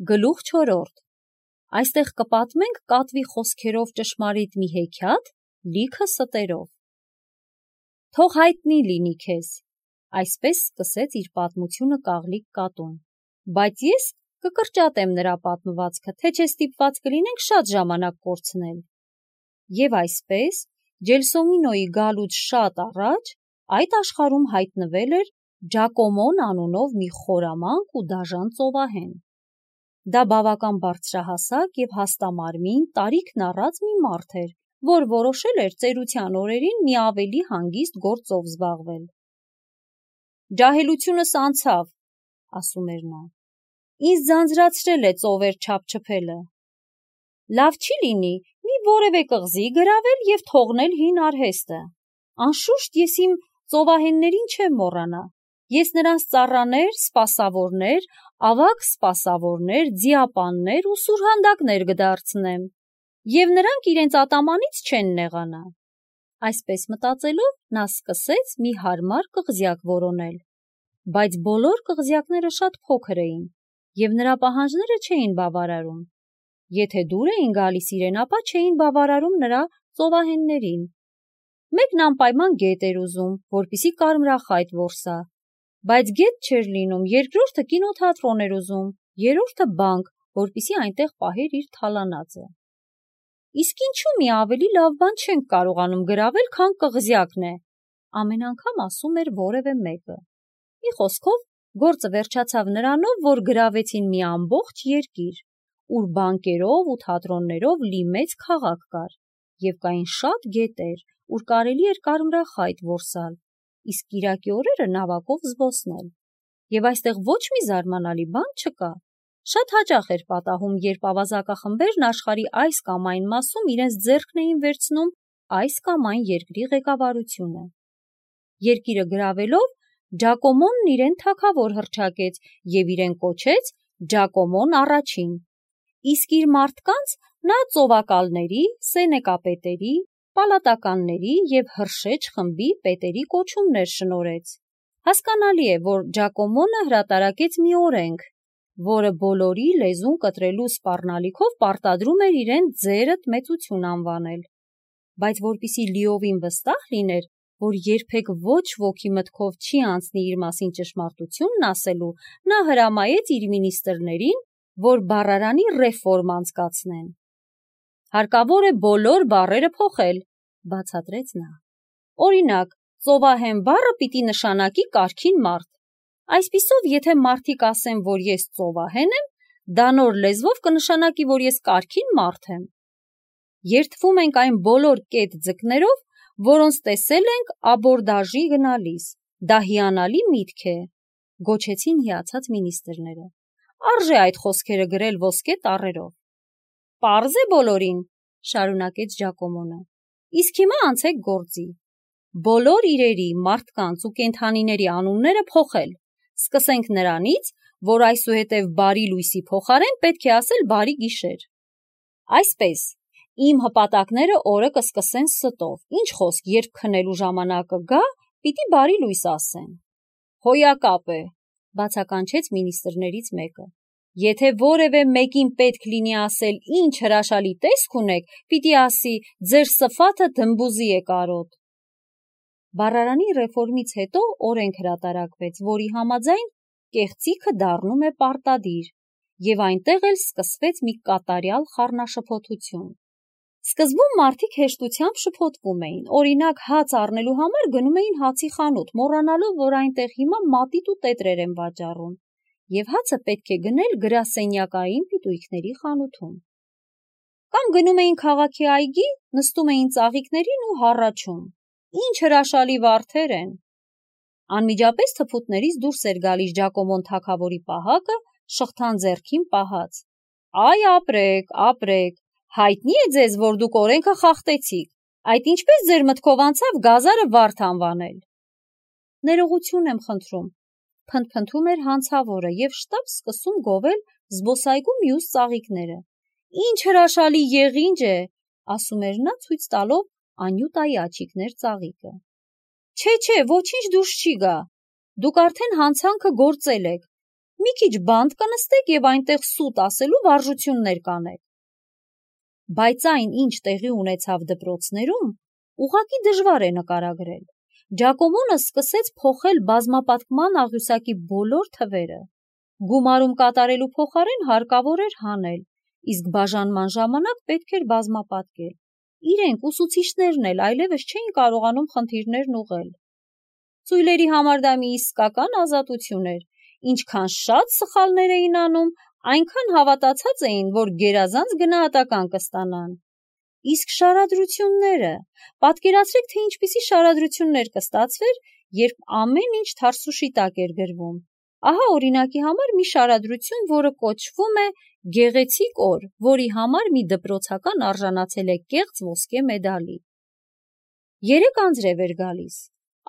Գլուխ 4. Այստեղ կպատմենք կատվի խոսքերով ճշմարիտ մի հեքիաթ, լիքը ստերով։ Թող հայտնի լինի քեզ, այսպես սկսեց իր պատմությունը կաղլիկ կատուն, բայց ես կկրճատեմ նրա պատմվածքը, թե չէ ստիպված կլինենք շատ ժամանակ կորցնել։ Եվ այսպես, Ջելսոմինոյի գալուց շատ առաջ այդ աշխարհում հայտնվել էր Ջակոմոն անունով մի խորամանկ ու դաժան ծովահեն։ Դա բավական բարձրահասակ և հաստամարմին, տարիքն առած մի մարդ էր, որ որոշել էր ծերության օրերին մի ավելի հանգիստ գործով զբաղվել։ «Ջահելությունս անցավ», ասում էր նա, «ինձ ձանձրացրել է ծովեր չափչփելը։ Լավ չի լինի մի որևէ կղզի գրավել և թողնել հին արհեստը։ Անշուշտ ես իմ ծովահեններին չեմ մոռանա։ Ես նրանց ծառաներ, սպասավորներ, ավագ սպասավորներ, ձիապաններ ու սուրհանդակներ կդարձնեմ, և նրանք իրենց ատամանից չեն նեղանա»։ Այսպես մտածելով, նա սկսեց մի հարմար կղզյակ որոնել, բայց բոլոր կղզյակները շատ փոքր էին, և նրա պահանջները չէին բավարարում։ Եթե դուր էին գալիս իրեն, ապա չէին բավարարում նրա ծովահեններին։ Մեկն անպայման գետ էր ուզում, որպեսզի կարմրախայտ որսա, բայց գետ չէր լինում, երկրորդը կինոթատրոն էր ուզում, երրորդը բանկ, որպեսզի այնտեղ պահեր իր թալանածը։ Իսկ ինչու մի ավելի լավ բան չենք կարողանում գրավել, քան կղզյակն է, ամեն անգամ ասում էր որևէ մեկը։ Մի խոսքով, գործը վերջացավ նրանով, որ գրավեցին մի ամբողջ երկիր, ուր բանկերով ու թատրոններով լի մեծ քաղաք կար, և կային շատ գետեր, ուր կարելի էր կարմրախայտ որսալ, իսկ կիրակի օրերը նավակով զբոսնել։ Եվ այստեղ ոչ մի զարմանալի բան չկա։ Շատ հաճախ էր պատահում, երբ ավազակախմբերն աշխարհի այս կամ այն մասում իրենց ձեռքն էին վերցնում այս կամ այն երկրի ղեկավարությունը։ Երկիրը գրավելով, Ջակոմոնն իրեն թագավոր հռչակեց և իրեն կոչեց Ջակոմոն առաջին, իսկ իր մարդկանց նա ծովակալների, սենեկապետերի, պալատականների և հրշեջ խմբի պետերի կոչումներ շնորհեց։ Հասկանալի է, որ Ջակոմոնը հրատարակեց մի օրենք, որը բոլորի լեզուն կտրելու սպառնալիքով պարտադրում էր իրեն ձերդ մեծություն անվանել։ Բայց որպեսզի լիովին վստահ լիներ, որ երբեք ոչ ոքի մտքով չի անցնի իր մասին ճշմարտությունն ասելու, նա հրամայեց իր մինիստրներին, որ բառարանի ռեֆորմ անցկացնեն։ «Հարկավոր է բոլոր բառերը փոխել», բացատրեց նա։ «Օրինակ, ծովահեն բառը պիտի նշանակի կարգին մարդ։ Այսպիսով, եթե մարդիկ ասեն, որ ես ծովահեն եմ, դա նոր լեզվով կնշանակի, որ ես կարգին մարդ եմ։ Երդվում ենք այն բոլոր կետ ձկներով, որոնց տեսել ենք աբորդաժի գնալիս։ Դա հիանալի միտք է», գոչեցին հիացած մինիստրները։ «Արժե այդ խոսքերը գրել ոսկե տառերով»։ «Պարզ է բոլորին», շարունակեց Ջակոմոնը։ «Իսկ հիմա անցեք գործի։ Բոլոր իրերի, մարդկանց ու կենդանիների անունները փոխել։ Սկսենք նրանից, որ այսուհետև բարի լույսի փոխարեն պետք է ասել բարի գիշեր։ Այսպես, իմ հպատակները օրը կսկսեն ստով, ինչ խոսք, երբ քնելու ժամանակը գա, պիտի բարի լույս ասեն»։ «Հոյակապ է», բացականչեց մինիստրներից մեկը։ «Եթե որևէ մեկին պետք լինի ասել ինչ հրաշալի տեսք ունեք, պիտի ասի ձեր սփաթը դմբուզի է կարոտ»։ Բառարանի ռեֆորմից հետո օրենք հրատարակվեց, որի համաձայն կեղծիքը դառնում է պարտադիր, և այնտեղ էլ սկսվեց մի կատարյալ խառնաշփոթություն։ Սկզբում մարդիկ հեշտությամբ շփոթվում էին, օրինակ հաց առնելու համար գնում էին հացի խանութ, մոռանալով, որ այնտեղ հիմա մատիտ ու տետրեր են վաճառում, և հացը պետք է գնել գրասենյակային պիտույքների խանութում։ Կամ գնում էին քաղաքի այգի, նստում էին ծաղիկներին ու հառաչում. «Ինչ հրաշալի վարդեր են»։ Անմիջապես թփուտներից դուրս էր գալիս Ջակոմոն թագավորի պահակը, շղթան ձեռքին պահած։ «Այ ապրեք, ապրեք, հայտնի է ձեզ, որ դուք օրենքը խախտեցիք, այդ ինչպես ձեր մտքով անցավ գազարը վարդ անվանել»։ «Ներողություն եմ խնդրում», փնթփնթում էր հանցավորը և շտապ սկսում գովել զբոսայգու մյուս ծաղիկները։ «Ինչ հրաշալի եղինջ է», ասում էր նա, ցույց տալով Անյուտայի աջիկներ ծաղիկը։ Չէ, ոչինչ դուրս չի գա, դուք արդեն հանցանքը գործել եք, մի քիչ բանտ կնստեք և այնտեղ սուտ ասելու վարժություններ կանեք։ Բայց այն, ինչ տեղի ունեցավ դպրոցներում, ուղղակի դժվար է նկարագրել։ Ջակոմոնը սկսեց փոխել բազմապատկման աղյուսակի բոլոր թվերը։ Գումարում կատարելու փոխարեն հարկավոր էր հանել, իսկ բաժանման ժամանակ պետք էր բազմապատկել։ Իրենք ուսուցիչներն էլ այլևս չէին կարողանում խնդիրներն ուղղել։ Ծույլերի համար դա մի իսկական ազատություն էր, ինչքան շատ սխալներ էին անում, այնքան հավատացած էին, որ գերազանց գնահատական կստանան։ Իսկ շարադրությունները, պատկերացրեք, թե ինչպիսի շարադրություններ կստացվեր, երբ ամեն ինչ թարսուշի տակ էր գրվում։ Ահա օրինակի համար մի շարադրություն, որը կոչվում է «Գեղեցիկ օր», որի համար մի դպրոցական արժանացել է կեղծ ոսկե մեդալի։ 3 անձրև էր գալիս։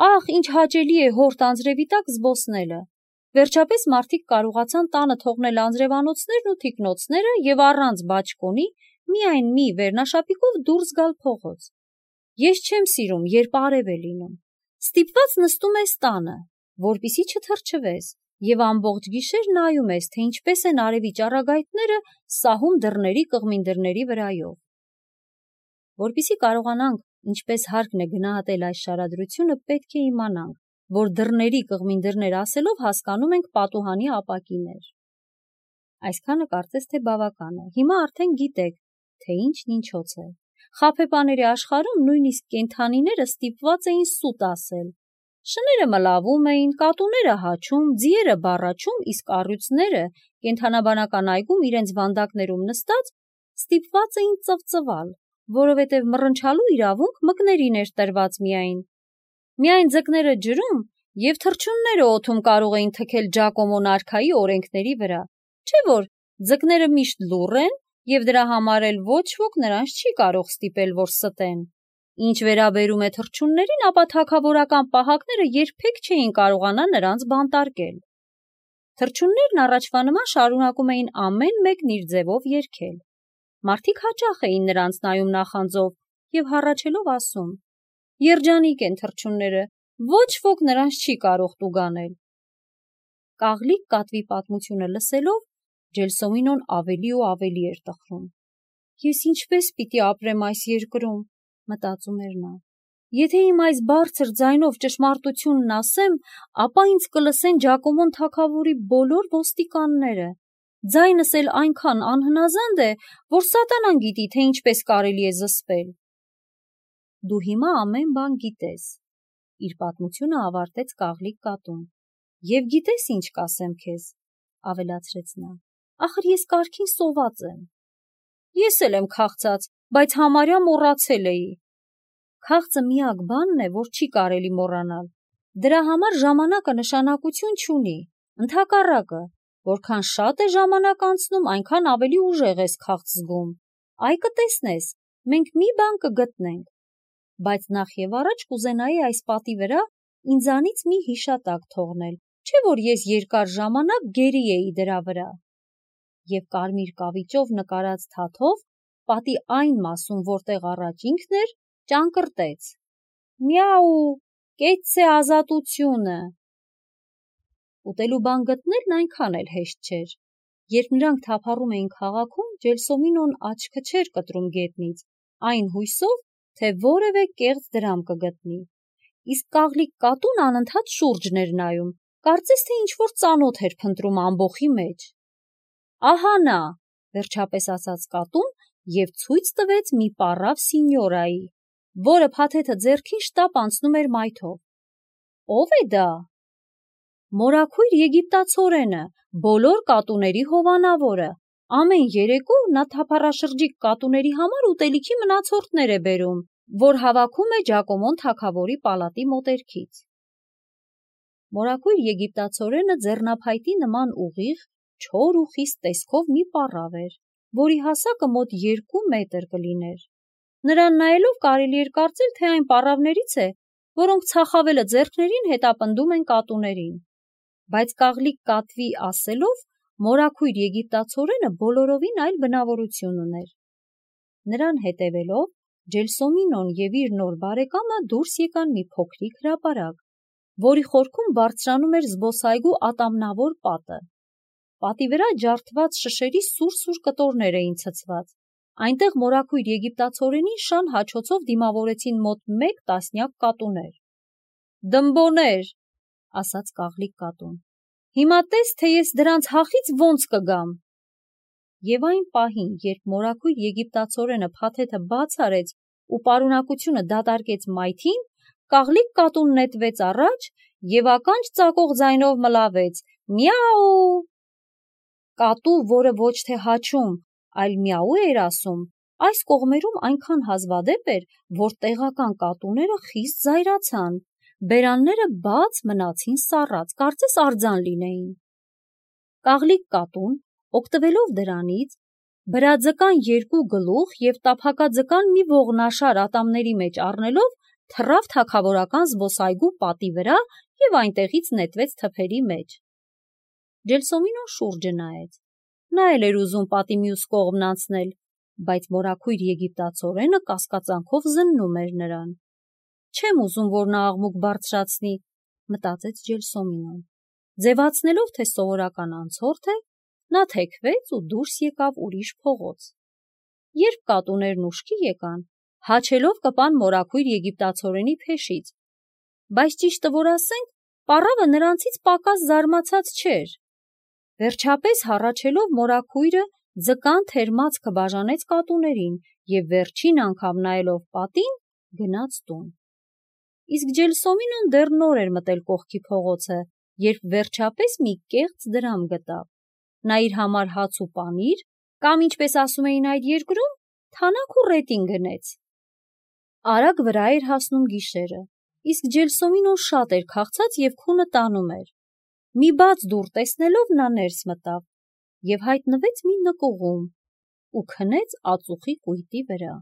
Ախ, ինչ հաճելի է հորդ անձրևի տակ զբոսնելը։ Վերջապես մարդիկ կարողացան տանը թողնել անձրևանոցներն ու թիկնոցները և առանց բաճկոնի միայն մի վերնաշապիկով դուրս գալ փողոց։ Ես չեմ սիրում, երբ արև է լինում։ Ստիպված նստում ես տանը, որպեսզի չթրջվես, և ամբողջ գիշեր նայում ես, թե ինչպես են արևի ճառագայթները սահում դռների կղմին դռների վրայով։ Որպեսզի կարողանանք ինչպես հարկն է գնահատել այս շարադրությունը, պետք է իմանանք, որ դռների կղմին դռներ ասելով հասկանում ենք պատուհանի ապակիներ։ Այսքանը կարծես թե բավական է։ Հիմա արդեն գիտեք, թե ինչն ինչոց է։ Խաբեբաների աշխարհում նույնիսկ կենդանիները ստիպված էին սուտ ասել։ Շները մլավում էին, կատուները հաչում, ձիերը բառաչում, իսկ առյուծները կենդանաբանական այգում իրենց վանդակներում նստած ստիպված էին ծվծվալ, որովհետև մռնչալու իրավունք մկներին էր տրված միայն ձկները ջրում և թռչունները օդում կարող էին թքել Ջակոմոն արքայի օրենքների վրա, չէ՞ որ ձկները միշտ լուռ են և դրա համար էլ ոչ ոք նրանց չի կարող ստիպել, որ ստեն։ Ինչ վերաբերում է թռչուններին, ապա թագավորական պահակները երբեք չէին կարողանա նրանց բանտարկել։ Թռչուններն առաջվա նման շարունակում էին ամեն մեկն իր ձևով երգել։ Մարդիկ հաճախ էին նրանց նայում նախանձով և հառաչելով ասում. «Երջանիկ են թռչունները, ոչ ոք նրանց չի կարող տուգանել»։ Կաղլիկ կատվի պատմությունը լսելով, Ջելսոմինոն ավելի ու ավելի էր տխրում։ «Ես ինչպես պիտի ապրեմ այս երկրում», մտածում էր նա։ «Եթե իմ այս բարձր ձայնով ճշմարտությունն ասեմ, ապա ինձ կլսեն Ջակոմոն թագավորի բոլոր ոստիկանները։ Ձայնս էլ այնքան անհնազանդ է, որ սատանան գիտի, թե ինչպես կարելի է զսպել»։ «Դու հիմա ամեն բան գիտես», իր պատմությունը ավարտեց Կաղլիկ կատուն։ «Եվ գիտես ինչ կասեմ քեզ», ավելացրեց նա, «ախր ես կարգին սոված եմ»։ «Ես էլ եմ քաղցած, բայց համարյա մոռացել էի»։ Քաղցը միակ բանն է, որ չի կարելի մոռանալ։ Դրա համար ժամանակը նշանակություն չունի։ Ընդհակառակը, որքան շատ է ժամանակ անցնում, այնքան ավելի ուժեղ ես քաղց զգում։ Այ կտեսնես, մենք մի բան կգտնենք։ Բայց նախ և առաջ կուզենայի այս պատի վրա ինձանից մի հիշատակ թողնել, չէ՞ որ ես երկար ժամանակ գերի էի դրա վրա։ Եվ կարմիր կավիճով նկարած թաթով պատի այն մասում, որտեղ առաջ ինքն էր, ճանկռտեց. «Միաու, կեցցե ազատությունը»։ Ուտելու բան գտնելն այնքան էլ հեշտ չէր։ Երբ նրանք թափառում էին քաղաքում, Ջելսոմինոն աչքը չէր կտրում գետնից, այն հույսով, թե որևէ կեղծ դրամ կգտնի։ Իսկ Կաղլիկ կատուն անընդհատ շուրջն էր նայում, կարծես թե ինչ-որ ծանոթ էր փնտրում ամբոխի մեջ։ «Ահա նա», վերջապես ասաց կատուն և ցույց տվեց մի պառավ սինյորայի, որը փաթեթը ձեռքին շտապ անցնում էր մայթով։ «Ո՞վ է դա»։ «Մորաքույր եգիպտացորենը, բոլոր կատուների հովանավորը։ Ամեն երեկո նա թափառաշրջիկ կատուների համար ուտելիքի մնացորդներ է բերում, որ հավաքում է Ջակոմոն թագավորի պալատի մոտերքից»։ Մորաքույր եգիպտացորենը ձեռնափայտի նման ուղիղ, չոր ու խիստ տեսքով մի պառավ էր, որի հասակը մոտ 2 մետր կլիներ։ Նրան նայելով կարելի էր կարծել, թե այն պառավներից է, որոնք ցախավելը ձեռքներին հետապնդում են կատուներին։ Բայց Կաղլիկ կատվի ասելով, մորաքույր եգիպտացորենը բոլորովին այլ բնավորություն ուներ։ Նրան հետևելով, Ջելսոմինոն և իր նոր բարեկամը դուրս եկան մի փոքրիկ հրապարակ, որի խորքում բարձրանում էր զբոսայգու ատամնավոր պատը։ Պատի վրա ջարդված շշերի սուր-սուր կտորներ էին ցցված, այնտեղ մորաքույր եգիպտացորենին շան հաչոցով դիմավորեցին մոտ 1 տասնյակ կատուներ։ «Դմբոներ», ասաց կաղլիկ կատուն, «հիմա տես, թե ես դրանց հախից ոնց կգամ»։ Եվ այն պահին, երբ մորաքույր եգիպտացորենը փաթեթը բաց արեց ու պարունակությունը դատարկեց մայթին, կաղլիկ կատուն նետվեց առաջ և ականջ ծակող ձայնով մլավեց. «Միա՜ու»։ Կատու, որը ոչ թե հաչում, այլ միաու էր ասում, այս կողմերում այնքան հազվադեպ էր, որ տեղական կատուները խիստ զայրացան, բերանները բաց մնացին սառած, կարծես արձան լինեին։ Կաղլիկ կատուն, օգտվելով դրանից, բրաձկան 2 գլուխ և տափակաձկան մի ողնաշար ատամների մեջ առնելով, թռավ թագավորական զբոսայգու պատի վրա և այնտեղից նետվեց թփերի մեջ։ Ջելսոմինոն շուրջը նայեց։ Նա էլ էր ուզում պատի մյուս կողմն անցնել, բայց մորաքույր եգիպտացորենը կասկածանքով զննում էր նրան։ «Չեմ ուզում, որ նա աղմուկ բարձրացնի», մտածեց Ջելսոմինոն։ Ձևացնելով, թե սովորական անցորդ է, նա թեքվեց ու դուրս եկավ ուրիշ փողոց։ Երբ կատուներն ուշքի եկան, հաչելով կպան մորաքույր եգիպտացորենի փեշից, բայց ճիշտը որ ասենք, պառավը նրանցից պակաս զարմացած չէր։ Վերջապես հառաչելով մորաքույրը ձկան թերմացքը բաժանեց կատուներին և վերջին անգամ նայելով պատին, գնաց տուն։ Իսկ Ջելսոմինոն դեռ նոր էր մտել կողքի փողոցը, երբ վերջապես մի կեղծ դրամ գտավ։ Նա իր համար հաց ու պանիր, կամ ինչպես ասում էին այդ երկրում, թանաք ու ռետին գնեց։ Արագ վրա էր հասնում գիշերը, իսկ Ջելսոմինոն շատ էր քաղցած և քունը տանում էր։ Մի բաց դուռ տեսնելով նա ներս մտավ և հայտնվեց մի նկուղում ու քնեց ածուխի կույտի վրա։